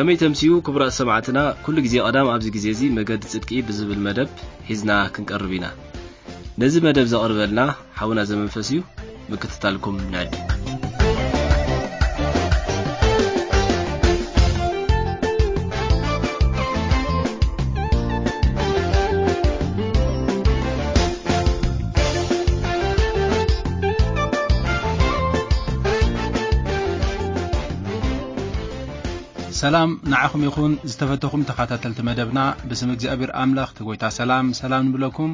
ከመይ ተምስዩ ክቡራት ሰማዕትና፣ ኩሉ ግዜ ቀዳም ኣብዚ ግዜ እዚ መገዲ ጽድቂ ብዝብል መደብ ሒዝና ክንቀርብ ኢና። ነዚ መደብ ዘቕርበልና ሓውና ዘመንፈስ እዩ። ምክትታልኩም ንዕድ። ሰላም ንዓኹም ይኹን ዝተፈተኹም ተኸታተልቲ መደብና። ብስም እግዚኣብሔር ኣምላኽ እቲ ጎይታ ሰላም ሰላም ንብለኩም።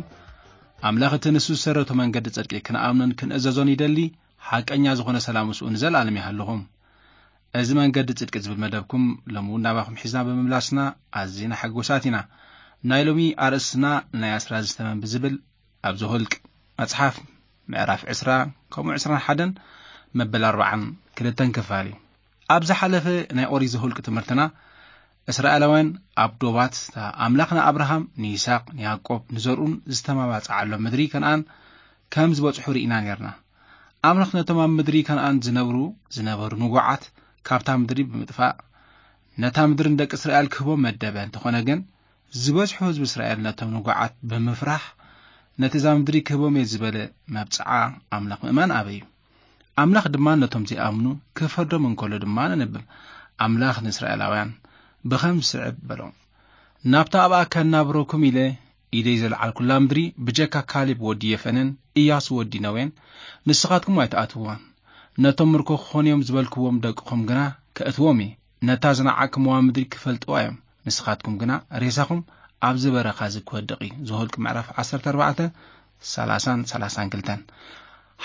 ኣምላኽ እቲ ንሱ ዝሰረቶ መንገዲ ጽድቂ ክንኣምኖን ክንእዘዞን ይደሊ። ሓቀኛ ዝኾነ ሰላም ምስኡ ንዘለኣለም ይሃልኹም። እዚ መንገዲ ጽድቂ ዝብል መደብኩም ሎሚ እውን ናባኹም ሒዝና ብምምላስና ኣዚና ሕጉሳት ኢና። ናይ ሎሚ ኣርእስትና ናይ ኣስራ ዝተመን ብዝብል ኣብ ዘኍልቅ መጽሓፍ ምዕራፍ ዕስራ ከምኡ ዕስራን ሓደን መበል ኣርባዓን ክልተን ክፋል እዩ። ኣብ ዝሓለፈ ናይ ኦሪት ዘኍልቅ ትምህርትና እስራኤላውያን ኣብ ዶባት እታ ኣምላኽ ንኣብርሃም፣ ንይስሐቅ፣ ንያዕቆብ፣ ንዘርኡን ዝተማባጽዓሎም ምድሪ ከነኣን ከም ዝበጽሑ ርኢና ኔርና። ኣምላኽ ነቶም ኣብ ምድሪ ከነኣን ዝነብሩ ዝነበሩ ንጉዓት ካብታ ምድሪ ብምጥፋእ ነታ ምድሪ ንደቂ እስራኤል ክህቦም መደበ። እንተኾነ ግን ዝበዝሑ ህዝቢ እስራኤል ነቶም ንጉዓት ብምፍራሕ ነቲ እዛ ምድሪ ክህቦም እየ ዝበለ መብጽዓ ኣምላኽ ምእማን ኣበዩ። ኣምላኽ ድማ ነቶም ዘይኣምኑ ክፈርዶም እንከሎ ድማ ነንብብ። ኣምላኽ ንእስራኤላውያን ብኸም ዝስዕብ በሎም። ናብታ ኣብኣ ከናብረኩም ኢለ ኢደይ ዘልዓልኩላ ምድሪ ብጀካ ካሌብ ወዲ የፈንን ኢያሱ ወዲ ነዌን ንስኻትኩም ኣይትኣትውዋን። ነቶም ምርኮ ክኾኑ እዮም ዝበልክዎም ደቅኹም ግና ከእትዎም እየ። ነታ ዝነዓቅኩምዋ ምድሪ ክፈልጥዋ እዮም። ንስኻትኩም ግና ሬሳኹም ኣብዚ በረኻ እዚ ክወድቕ እዩ። ዘኍልቅ ምዕራፍ ዓሰርተ ኣርባዕተ፣ ሰላሳን ሰላሳን ክልተን።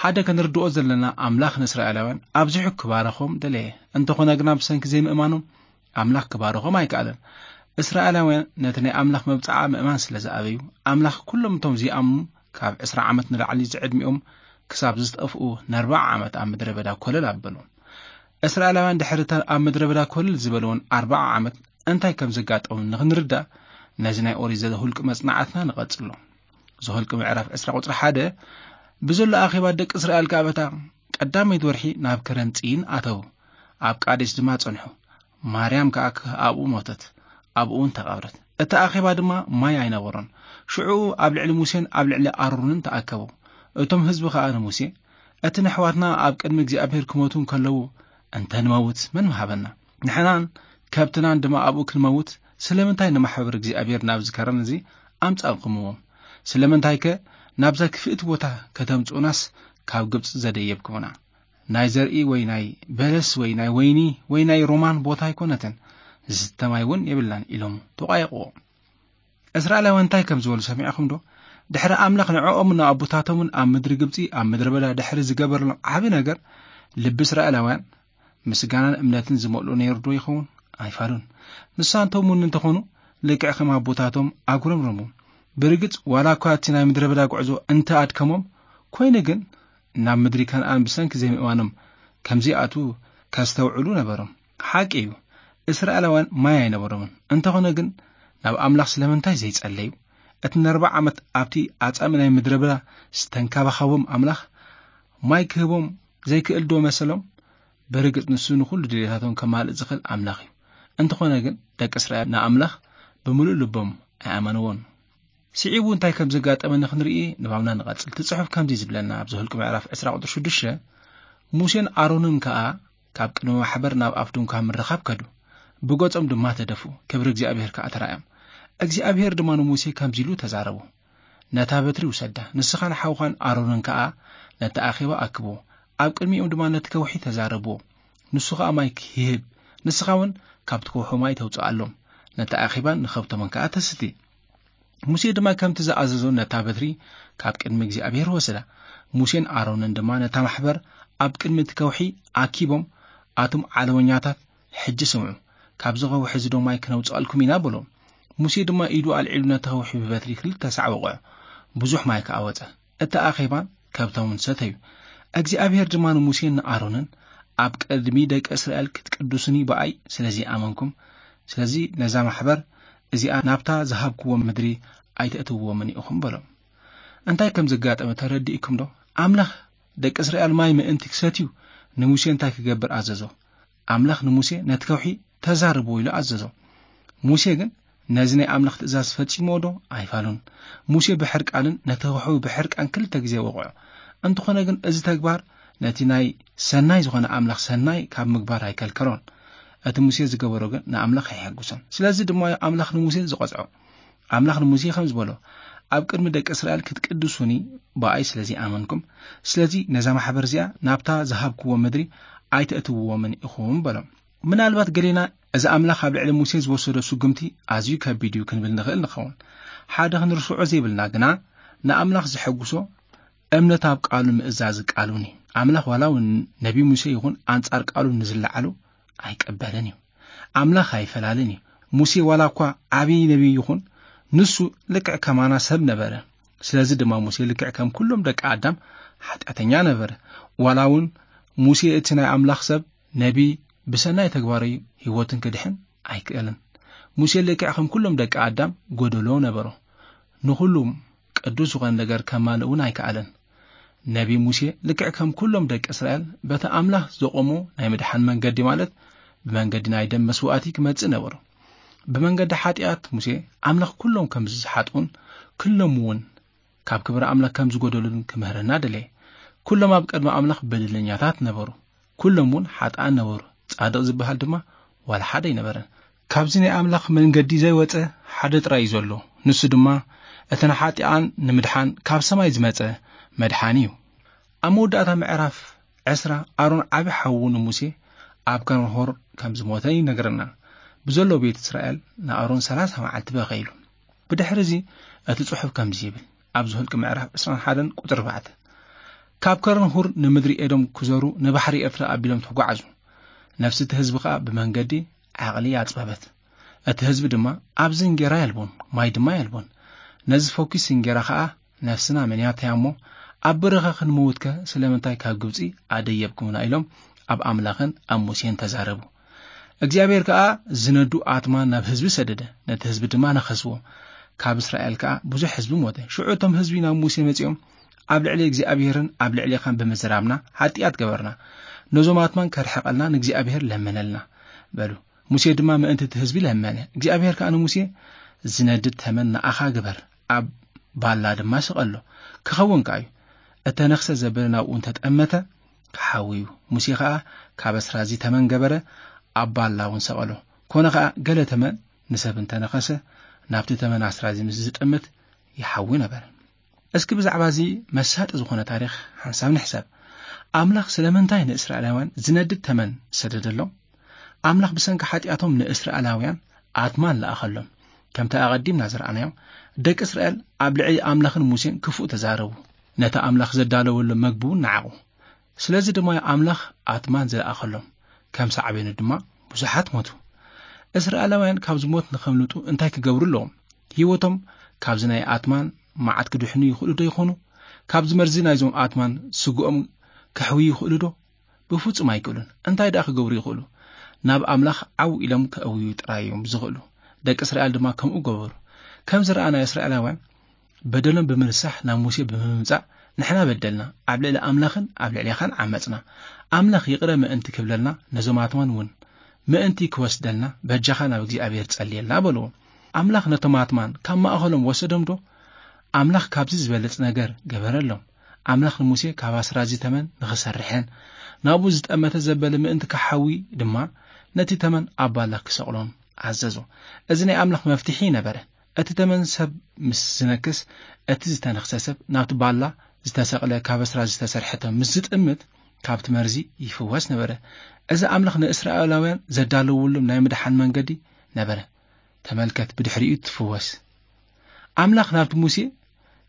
ሓደ ክንርድኦ ዘለና ኣምላኽ ንእስራኤላውያን ኣብዚሑ ክባረኾም ደለየ። እንተኾነ ግና ብሰንኪ ዘይምእማኖም ኣምላኽ ክባርኾም ኣይከኣለን። እስራኤላውያን ነቲ ናይ ኣምላኽ መብጽዓ ምእማን ስለ ዝኣበዩ ኣምላኽ ኩሎም እቶም ዘይኣምኑ ካብ ዕስራ ዓመት ንላዕሊ ዝዕድሚኦም ክሳብ ዝጠፍኡ ነርብዓ ዓመት ኣብ ምድረ በዳ ኮለል ኣበሎም። እስራኤላውያን ድሕሪ እታ ኣብ ምድረ በዳ ኮለል ዝበልዎን ኣርብዓ ዓመት እንታይ ከም ዘጋጠሞም ንኽንርዳእ ነዚ ናይ ኦሪት ዘኍልቅ መጽናዕትና ንቐጽሎ። ዘኍልቅ ምዕራፍ ዕስራ ቁጽሪ ሓደ፣ ብዘሎ ኣኼባ ደቂ እስራኤል ከኣ በታ ቀዳመይቲ ወርሒ ናብ ከረን ጽይን ኣተዉ። ኣብ ቃዴስ ድማ ጸንሑ። ማርያም ከኣ ኣብኡ ሞተት። ኣብኡ እውን ተቐብረት። እቲ ኣኼባ ድማ ማይ ኣይነበሮን። ሽዑ ኣብ ልዕሊ ሙሴን ኣብ ልዕሊ ኣሮንን ተኣከቡ። እቶም ህዝቢ ከኣ ንሙሴ፣ እቲ ነሕዋትና ኣብ ቅድሚ እግዚኣብሔር ክሞቱ እንከለዉ እንተ ንመውት መን ምሃበና? ንሕናን ከብትናን ድማ ኣብኡ ክንመውት ስለምንታይ ንማሕበር እግዚኣብሔር ናብዚ ከረን እዚ ኣምጻእኩምዎም? ስለምንታይከ ናብዛ ክፍእቲ ቦታ ከተምጽኡናስ ካብ ግብጺ ዘደየብኩምና? ናይ ዘርኢ ወይ ናይ በለስ ወይ ናይ ወይኒ ወይ ናይ ሮማን ቦታ ኣይኮነትን፣ ዝስተ ማይ እውን የብልናን ኢሎም ተቋየቕዎ። እስራኤላውያን እንታይ ከም ዝበሉ ሰሚዕኹም ዶ? ድሕሪ ኣምላኽ ንዕኦምን ንኣቦታቶምን ኣብ ምድሪ ግብጺ ኣብ ምድረ በዳ ድሕሪ ዝገበረሎም ዓቢ ነገር ልቢ እስራኤላውያን ምስጋናን እምነትን ዝመልኦ ነይሩ ዶ ይኸውን? ኣይፋሉን። ንሳቶም እውን እንተኾኑ ልክዕ ከም ኣቦታቶም ኣጉረምረሙ። ብርግጽ ዋላ እኳ እቲ ናይ ምድረ በዳ ጉዕዞ እንተ ኣድከሞም፣ ኮይኑ ግን ናብ ምድሪ ከነኣን ብሰንኪ ዘይምእማኖም ከም ዘይኣትዉ ከስተውዕሉ ነበሮም። ሓቂ እዩ፣ እስራኤላውያን ማይ ኣይነበሮምን። እንተኾነ ግን ናብ ኣምላኽ ስለምንታይ ዘይጸለዩ? እቲ ንኣርብዓ ዓመት ኣብቲ ኣጻሚ ናይ ምድረ በዳ ዝተንከባኸቦም ኣምላኽ ማይ ክህቦም ዘይክእል ዶ መሰሎም? ብርግጽ ንሱ ንኹሉ ድሌታቶም ከማልእ ዝኽእል ኣምላኽ እዩ። እንተኾነ ግን ደቂ እስራኤል ንኣምላኽ ብምሉእ ልቦም ኣይኣመንዎን። ስዒቡ እንታይ ከም ዘጋጠመ ንኽንርኢ ንባብና ንቐጽል። እቲ ጽሑፍ ከምዚ ዝብለና ኣብ ዘኍልቁ ምዕራፍ ዕስራ ቁጽሪ ሽዱሽተ፣ ሙሴን ኣሮንን ከኣ ካብ ቅድሚ ማሕበር ናብ ኣፍ ድንኳን ምርኻብ ከዱ፣ ብገጾም ድማ ተደፍኡ፣ ክብሪ እግዚኣብሔር ከኣ ተራእዮም። እግዚኣብሔር ድማ ንሙሴ ከምዚ ኢሉ ተዛረቦ፣ ነታ በትሪ ውሰዳ፣ ንስኻን ሓውኻን ኣሮንን ከኣ ነቲ ኣኼባ ኣክብዎ፣ ኣብ ቅድሚኦም ድማ ነቲ ከውሒ ተዛረብዎ፣ ንሱ ኸኣ ማይ ክህብ፣ ንስኻ እውን ካብቲ ከውሒ ማይ ተውጽኣሎም፣ ነቲ ኣኼባን ንኸብቶምን ከኣ ተስቲ። ሙሴ ድማ ከምቲ ዝኣዘዞ ነታ በትሪ ካብ ቅድሚ እግዚኣብሔር ወሰዳ። ሙሴን ኣሮንን ድማ ነታ ማሕበር ኣብ ቅድሚ እቲ ከውሒ ኣኪቦም፣ ኣቱም ዓለወኛታት፣ ሕጂ ስምዑ፣ ካብዚ ከውሒ እዚ ዶ ማይ ክነውጽኣልኩም ኢና በሎም። ሙሴ ድማ ኢዱ ኣልዒሉ ነቲ ከውሒ ብበትሪ ክልተ ሳዕ ወቕዖ፣ ብዙሕ ማይ ከኣ ወጸ። እቲ ኣኼባን ከብቶምን ሰተዩ። እግዚኣብሔር ድማ ንሙሴን ንኣሮንን፣ ኣብ ቅድሚ ደቂ እስራኤል ክትቅድሱኒ ብኣይ ስለ ዘይኣመንኩም፣ ስለዚ ነዛ ማሕበር እዚኣ ናብታ ዝሃብክዎም ምድሪ ኣይተእትውዎምን ኢኹም በሎም። እንታይ ከም ዘጋጠመ ተረዲእኩም ዶ? ኣምላኽ ደቂ እስራኤል ማይ ምእንቲ ክሰትዩ ንሙሴ እንታይ ክገብር ኣዘዞ? ኣምላኽ ንሙሴ፣ "ነቲ ከውሒ ተዛርቦ" ኢሉ ኣዘዞ። ሙሴ ግን ነዚ ናይ ኣምላኽ ትእዛዝ ፈጺምዎ ዶ? ኣይፋሉን። ሙሴ ብሕርቃንን ነቲ ከውሒ ብሕርቃን ክልተ ግዜ ወቕዖ። እንተኾነ ግን፣ እዚ ተግባር ነቲ ናይ ሰናይ ዝኾነ ኣምላኽ ሰናይ ካብ ምግባር ኣይከልከሎን። እቲ ሙሴ ዝገበሮ ግን ንኣምላኽ ኣየሐጉሶን። ስለዚ ድማ ኣምላኽ ንሙሴ ዝቐጽዖ። ኣምላኽ ንሙሴ ከም ዝበሎ፣ "ኣብ ቅድሚ ደቂ እስራኤል ክትቅድሱኒ ብኣይ ስለ ዘይኣመንኩም፣ ስለዚ ነዛ ማሕበር እዚኣ ናብታ ዝሃብክዎ ምድሪ ኣይተእትውዎምን ኢኹም" በሎም። ምናልባት ገሌና፣ "እዚ ኣምላኽ ኣብ ልዕሊ ሙሴ ዝወሰዶ ስጉምቲ ኣዝዩ ከቢድ እዩ" ክንብል ንኽእል ንኸውን። ሓደ ክንርስዖ ዘይብልና ግና፣ ንኣምላኽ ዘሐጉሶ እምነት ኣብ ቃሉ ምእዛዝ ቃሉን እዩ። ኣምላኽ ዋላ እውን ነቢ ሙሴ ይኹን ኣንጻር ቃሉ ንዝለዓሉ ኣይቀበልን እዩ። ኣምላኽ ኣይፈላለን እዩ። ሙሴ ዋላ እኳ ዓብዪ ነቢይ ይኹን፣ ንሱ ልክዕ ከማና ሰብ ነበረ። ስለዚ ድማ ሙሴ ልክዕ ከም ኩሎም ደቂ ኣዳም ሓጢኣተኛ ነበረ። ዋላ እውን ሙሴ እቲ ናይ ኣምላኽ ሰብ ነቢይ ብሰናይ ተግባሩ ህይወትን ክድሕን ኣይክእልን። ሙሴ ልክዕ ከም ኩሎም ደቂ ኣዳም ጎደሎ ነበሮ። ንኹሉም ቅዱስ ዝኾነ ነገር ከማልእ እውን ኣይከኣለን። ነቢ ሙሴ ልክዕ ከም ኩሎም ደቂ እስራኤል በቲ ኣምላኽ ዘቖሞ ናይ ምድሓን መንገዲ፣ ማለት ብመንገዲ ናይ ደም መስዋእቲ ክመጽእ ነበሩ። ብመንገዲ ሓጢኣት ሙሴ ኣምላኽ ኩሎም ከም ዝሓጥኡን ኩሎም እውን ካብ ክብሪ ኣምላኽ ከም ዝጎደሉን ክምህረና ደለየ። ኩሎም ኣብ ቅድሚ ኣምላኽ በደለኛታት ነበሩ። ኩሎም እውን ሓጥኣን ነበሩ። ጻድቕ ዝበሃል ድማ ዋላ ሓደ ኣይነበረን። ካብዚ ናይ ኣምላኽ መንገዲ ዘይወጸ ሓደ ጥራይ እዩ ዘሎ። ንሱ ድማ እቲ ንሓጢኣን ንምድሓን ካብ ሰማይ ዝመጸ መድሓኒ እዩ። ኣብ መወዳእታ ምዕራፍ ዕስራ፣ ኣሮን ዓቢ ሓዉ ንሙሴ ኣብ ከርንሆር ከም ዝሞተ ይነግረና። ብዘሎ ቤት እስራኤል ንኣሮን ሰላሳ መዓልቲ በኸይሉ። ብድሕሪ እዚ እቲ ጽሑፍ ከምዚ ይብል፣ ኣብ ዝሁልቂ ምዕራፍ ዕስራን ሓደን ቁጽሪ ኣርባዕተ፣ "ካብ ከርንሁር ንምድሪ ኤዶም ክዘሩ ንባሕሪ ኤርትራ ኣቢሎም ተጓዓዙ። ነፍሲ እቲ ህዝቢ ከኣ ብመንገዲ ዓቕሊ ኣጽበበት። እቲ ህዝቢ ድማ ኣብዚ እንጌራ የልቦን፣ ማይ ድማ የልቦን። ነዚ ፈኲስ እንጌራ ከኣ ነፍስና መንያታያ እሞ ኣብ በረኻ ክንመውትከ ስለምንታይ ካብ ግብጺ ኣደየብኩምና?" ኢሎም ኣብ ኣምላኽን ኣብ ሙሴን ተዛረቡ። እግዚኣብሔር ከኣ ዝነዱ ኣትማን ናብ ህዝቢ ሰደደ፣ ነቲ ህዝቢ ድማ ነኸስዎ። ካብ እስራኤል ከኣ ብዙሕ ህዝቢ ሞተ። ሽዑ እቶም ህዝቢ ናብ ሙሴ መጺኦም፣ "ኣብ ልዕሊ እግዚኣብሔርን ኣብ ልዕሌኻን ብምዝራብና ሓጢኣት ገበርና። ነዞም ኣትማን ከርሕቐልና ንእግዚኣብሔር ለመነልና" በሉ። ሙሴ ድማ ምእንቲ እቲ ህዝቢ ለመነ። እግዚኣብሔር ከኣ ንሙሴ፣ "ዝነድድ ተመን ንኣኻ ግበር፣ ኣብ ባላ ድማ ስቐሎ፣ ክኸውን ከኣ እዩ። እተነኽሰ ዘበለ ናብኡ እንተጠመተ፣ ክሓዊ እዩ።" ሙሴ ኸኣ ካብ ኣስራዚ ተመን ገበረ፣ ኣብ ባላ እውን ሰቐሎ። ኮነ ኸኣ፣ ገለ ተመን ንሰብ እንተነኸሰ፣ ናብቲ ተመን ኣስራዚ ምስ ዝጥምት፣ ይሓዊ ነበረ። እስኪ ብዛዕባ እዚ መሳጢ ዝኾነ ታሪኽ ሓንሳብ ንሕሰብ። ኣምላኽ ስለምንታይ ንእስራኤላውያን ዝነድድ ተመን ሰደደሎም? ኣምላኽ ብሰንኪ ሓጢኣቶም ንእስራኤላውያን ኣትማን ለኣኸሎም። ከምቲ ኣቐዲምና ዝረኣናዮ፣ ደቂ እስራኤል ኣብ ልዕሊ ኣምላኽን ሙሴን ክፉእ ተዛረቡ። ነቲ ኣምላኽ ዘዳለወሎም መግቢ እውን ነዓቑ። ስለዚ ድማ ኣምላኽ ኣትማን ዝለኣኸሎም። ከም ሳዕቤኑ ድማ ብዙሓት ሞቱ። እስራኤላውያን ካብዚ ሞት ንኸምልጡ እንታይ ክገብሩ ኣለዎም? ህይወቶም ካብዚ ናይ ኣትማን መዓት ክድሕኑ ይኽእሉ ዶ ይኾኑ? ካብዚ መርዚ ናይዞም ኣትማን ስግኦም ከሕውዩ ይኽእሉ ዶ? ብፍጹም ኣይክእሉን። እንታይ ደኣ ክገብሩ ይኽእሉ? ናብ ኣምላኽ ዓው ኢሎም ከእውዩ ጥራይ እዮም ዝኽእሉ። ደቂ እስራኤል ድማ ከምኡ ገበሩ። ከም ዝረኣናዮ፣ እስራኤላውያን በደሎም ብምንሳሕ ናብ ሙሴ ብምምጻእ፣ "ንሕና በደልና፣ ኣብ ልዕሊ ኣምላኽን ኣብ ልዕሌኻን ዓመጽና። ኣምላኽ ይቕረ ምእንቲ ክብለልና፣ ነዞም ኣትማን እውን ምእንቲ ክወስደልና፣ በጃኻ ናብ እግዚኣብሔር ጸልየልና" በልዎ። ኣምላኽ ነቶም ኣትማን ካብ ማእከሎም ወሰዶም ዶ? ኣምላኽ ካብዚ ዝበልጽ ነገር ገበረሎም። ኣምላኽ ንሙሴ ካብ ኣስራዚ ተመን ንኽሰርሕን ናብኡ ዝጠመተ ዘበለ ምእንቲ ክሓዊ ድማ ነቲ ተመን ኣብ ባላ ክሰቕሎን ኣዘዞ። እዚ ናይ ኣምላኽ መፍትሒ ነበረ። እቲ ተመን ሰብ ምስ ዝነክስ፣ እቲ ዝተነኽሰ ሰብ ናብቲ ባላ ዝተሰቕለ ካብ ኣስራዚ ዝተሰርሐ ተመን ምስ ዝጥምት፣ ካብቲ መርዚ ይፍወስ ነበረ። እዚ ኣምላኽ ንእስራኤላውያን ዘዳለወሎም ናይ ምድሓን መንገዲ ነበረ። ተመልከት፣ ብድሕሪኡ ትፍወስ። ኣምላኽ ናብቲ ሙሴ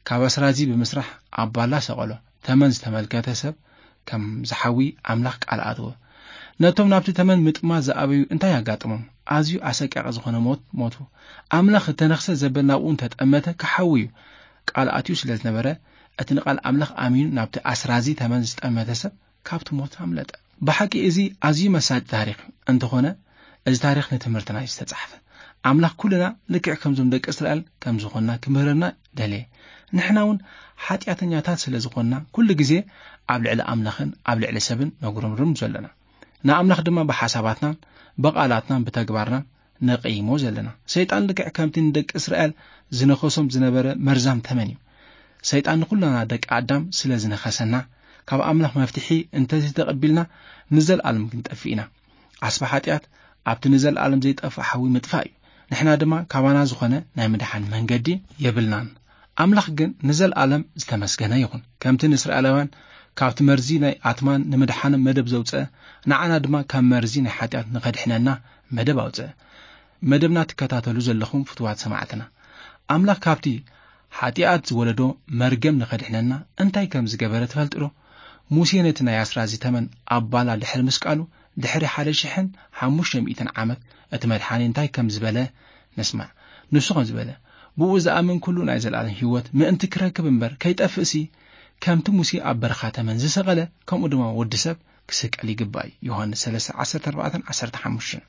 ካብ ኣስራዚ ብምስራሕ ኣብ ባላ ሰቐሎ። ተመን ዝተመልከተ ሰብ ከም ዝሓዊ ኣምላኽ ቃል ኣተወ። ነቶም ናብቲ ተመን ምጥማት ዝኣበዩ እንታይ ኣጋጠሞም? ኣዝዩ ኣሰቃቂ ዝኾነ ሞት ሞቱ። ኣምላኽ እተነኽሰ ዘበል ናብኡ እንተጠመተ ክሓዊ እዩ። ቃል ኣትዩ ስለ ዝነበረ፣ እቲ ንቃል ኣምላኽ ኣሚኑ ናብቲ ኣስራዚ ተመን ዝጠመተ ሰብ ካብቲ ሞት ኣምለጠ። ብሓቂ እዚ ኣዝዩ መሳጢ ታሪኽ እንተኾነ፣ እዚ ታሪኽ ንትምህርትና እዩ ዝተጻሕፈ። ኣምላኽ ኩልና ልክዕ ከምዞም ደቂ እስራኤል ከም ዝኾንና ክምህረና ደለየ። ንሕና እውን ሓጢኣተኛታት ስለ ዝኾንና፣ ኩሉ ግዜ ኣብ ልዕሊ ኣምላኽን ኣብ ልዕሊ ሰብን ነጉረምርም ዘለና። ንኣምላኽ ድማ ብሓሳባትናን ብቓላትናን ብተግባርናን ነቐይሞ ዘለና። ሰይጣን ልክዕ ከምቲ ንደቂ እስራኤል ዝነኸሶም ዝነበረ መርዛም ተመን እዩ። ሰይጣን ንኹልና ደቂ ኣዳም ስለ ዝነኸሰና፣ ካብ ኣምላኽ መፍትሒ እንተዘይተቐቢልና ንዘለኣለም ክንጠፍእ ኢና። ዓስቢ ሓጢኣት ኣብቲ ንዘለኣለም ዘይጠፍእ ሓዊ ምጥፋእ እዩ። ንሕና ድማ ካባና ዝኾነ ናይ ምድሓን መንገዲ የብልናን። ኣምላኽ ግን ንዘለኣለም ዝተመስገነ ይኹን። ከምቲ ንእስራኤላውያን ካብቲ መርዚ ናይ ኣትማን ንምድሓኖም መደብ ዘውፅአ፣ ንዓና ድማ ካብ መርዚ ናይ ሓጢኣት ንኸድሕነና መደብ ኣውፅአ። መደብና ትከታተሉ ዘለኹም ፍትዋት ሰማዕትና፣ ኣምላኽ ካብቲ ሓጢኣት ዝወለዶ መርገም ንኸድሕነና እንታይ ከም ዝገበረ ትፈልጡ ዶ? ሙሴ ነቲ ናይ ኣስራዚ ተመን ኣብ ባላ ድሕሪ ምስቃሉ፣ ድሕሪ ሓደ ሽሕን ሓሙሽተ ሚእትን ዓመት እቲ መድሓኒ እንታይ ከም ዝበለ ንስማዕ። ንሱ ከም ዝበለ፣ "ብኡ ዝኣምን ኩሉ ናይ ዘለኣለም ህይወት ምእንቲ ክረክብ እምበር ከይጠፍእሲ፣ ከምቲ ሙሴ ኣብ በረኻ ተመን ዝሰቐለ፣ ከምኡ ድማ ወዲ ሰብ ክስቀል ይግባእ" እዩ። ዮሃንስ ሰለስተ፣ ዓሰርተ ኣርባዕተን ዓሰርተ ሓሙሽተን።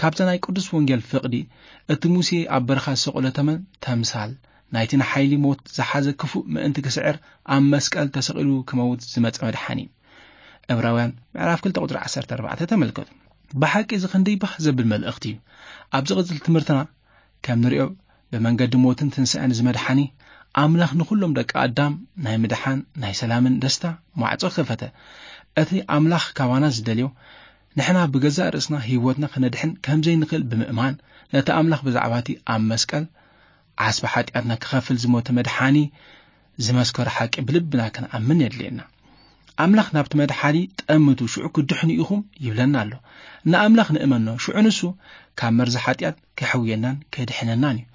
ካብዛ ናይ ቅዱስ ወንጌል ፍቕዲ፣ እቲ ሙሴ ኣብ በረኻ ዝሰቐሎ ተመን ተምሳል ናይቲ ንሓይሊ ሞት ዝሓዘ ክፉእ ምእንቲ ክስዕር ኣብ መስቀል ተሰቒሉ ክመውት ዝመጸ መድሓኒ እዩ። ዕብራውያን ምዕራፍ ክልተ ቁጽሪ ዓሰርተ ኣርባዕተ ተመልከቱ። ብሓቂ እዚ ክንደይ ባህ ዘብል መልእኽቲ እዩ። ኣብ ዝቕጽል ትምህርትና ከም ንሪኦ፣ ብመንገዲ ሞትን ትንሳኤን ዝመድሓኒ ኣምላኽ ንኹሎም ደቂ ኣዳም ናይ ምድሓን፣ ናይ ሰላምን ደስታ ማዕጾ ከፈተ። እቲ ኣምላኽ ካባና ዝደልዮ፣ ንሕና ብገዛእ ርእስና ህይወትና ክነድሕን ከም ዘይንኽእል ብምእማን፣ ነቲ ኣምላኽ ብዛዕባ እቲ ኣብ መስቀል ዓስቢ ሓጢኣትና ክኸፍል ዝሞተ መድሓኒ ዝመስከሮ ሓቂ ብልብና ክንኣምን የድልየና። ኣምላኽ ናብቲ መድሓኒ ጠምቱ፣ ሽዑ ክድሕኑ ኢኹም ይብለና ኣሎ። ንኣምላኽ ንእመኖ፣ ሽዑ ንሱ ካብ መርዚ ሓጢኣት ከሕውየናን ከድሕነናን እዩ።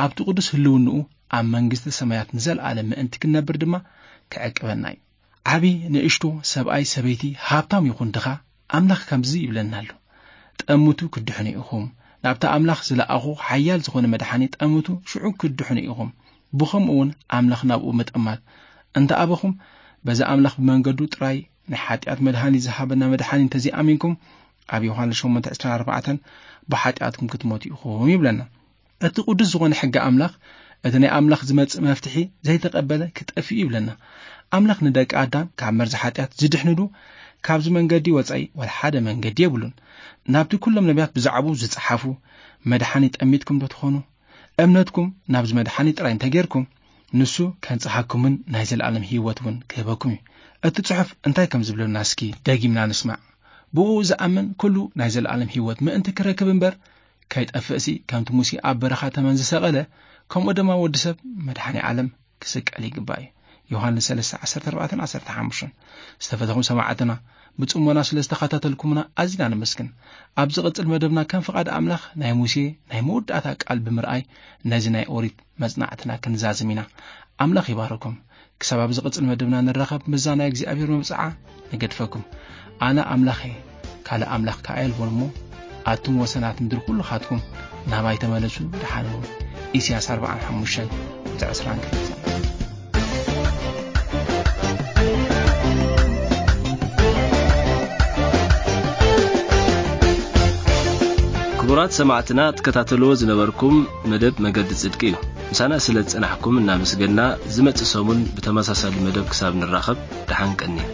ኣብቲ ቅዱስ ህልውንኡ ኣብ መንግስቲ ሰማያት ንዘለኣለም ምእንቲ ክንነብር ድማ ክዕቅበና እዩ። ዓቢ ንእሽቶ፣ ሰብኣይ ሰበይቲ፣ ሃብታም ይኹን ድኻ፣ ኣምላኽ ከምዚ ይብለና ኣሎ፣ "ጠምቱ ክድሕኑ ኢኹም፣ ናብቲ ኣምላኽ ዝለኣኹ ሓያል ዝኾነ መድሓኒ ጠምቱ፣ ሽዑ ክድሕኑ ኢኹም። ብኸምኡ እውን ኣምላኽ ናብኡ ምጥማት እንተ ኣበኹም፣ በዚ ኣምላኽ ብመንገዱ ጥራይ ናይ ሓጢኣት መድሃኒት ዝሃበና መድሓኒ እንተዘይኣሚንኩም፣ ኣብ ዮሃንስ ሸሞንተ ዕስራን ኣርባዕተን ብሓጢኣትኩም ክትሞቱ ኢኹም" ይብለና። እቲ ቅዱስ ዝኾነ ሕጊ ኣምላኽ፣ እቲ ናይ ኣምላኽ ዝመጽእ መፍትሒ ዘይተቐበለ ክጠፍእ እዩ ይብለና። ኣምላኽ ንደቂ ኣዳም ካብ መርዚ ሓጢኣት ዝድሕንሉ ካብዚ መንገዲ ወጻኢ ዋላ ሓደ መንገዲ የብሉን። ናብቲ ኩሎም ነቢያት ብዛዕባኡ ዝጸሓፉ መድሓኒ ጠሚትኩም ዶ ትኾኑ? እምነትኩም ናብዚ መድሓኒ ጥራይ እንተጌርኩም፣ ንሱ ከንጽሃኩምን ናይ ዘለኣለም ህይወት እውን ክህበኩም እዩ። እቲ ጽሑፍ እንታይ ከም ዝብለና እስኪ ደጊምና ንስማዕ። "ብኡ ዝኣምን ኩሉ ናይ ዘለኣለም ህይወት ምእንቲ ክረክብ እምበር ከይጠፍእሲ፣ ከምቲ ሙሴ ኣብ በረኻ ተመን ዝሰቐለ፣ ከምኡ ድማ ወዲ ሰብ መድሓኒ ዓለም ክስቀል ይግባእ እዩ።" ዮሃንስ ሰለስተ፣ ዓሰርተ ኣርባዕተን ዓሰርተ ሓሙሽተን። ዝተፈተኹም ሰማዕትና፣ ብጽሞና ስለ ዝተኸታተልኩምና ኣዚና ነመስግን። ኣብ ዝቕጽል መደብና ከም ፍቓድ ኣምላኽ ናይ ሙሴ ናይ መወዳእታ ቃል ብምርኣይ ነዚ ናይ ኦሪት መጽናዕትና ክንዛዝም ኢና። ኣምላኽ ይባርኩም። ክሳብ ኣብ ዝቕጽል መደብና ንራኸብ፣ ምስዛ ናይ እግዚኣብሔር መብጽዓ ንገድፈኩም። ኣነ ኣምላኽ እየ፣ ካልእ ኣምላኽ ከኣ የልቦን እሞ፣ ኣቱም ወሰናት ምድሪ ኩልኻትኩም ናባይ ተመለሱ፣ ደሓን ሁኑ። ኢሳያስ ኣርባዓን ሓሙሽተን ቁጽሪ ዕስራን ክልተን። ክቡራት ሰማዕትና፣ ትከታተልዎ ዝነበርኩም መደብ መገዲ ጽድቂ እዩ። ምሳና ስለ ዝጸናሕኩም እናመስገንና፣ ዝመጽእ ሰሙን ብተመሳሳሊ መደብ ክሳብ ንራኸብ፣ ደሓን ቀንዩ።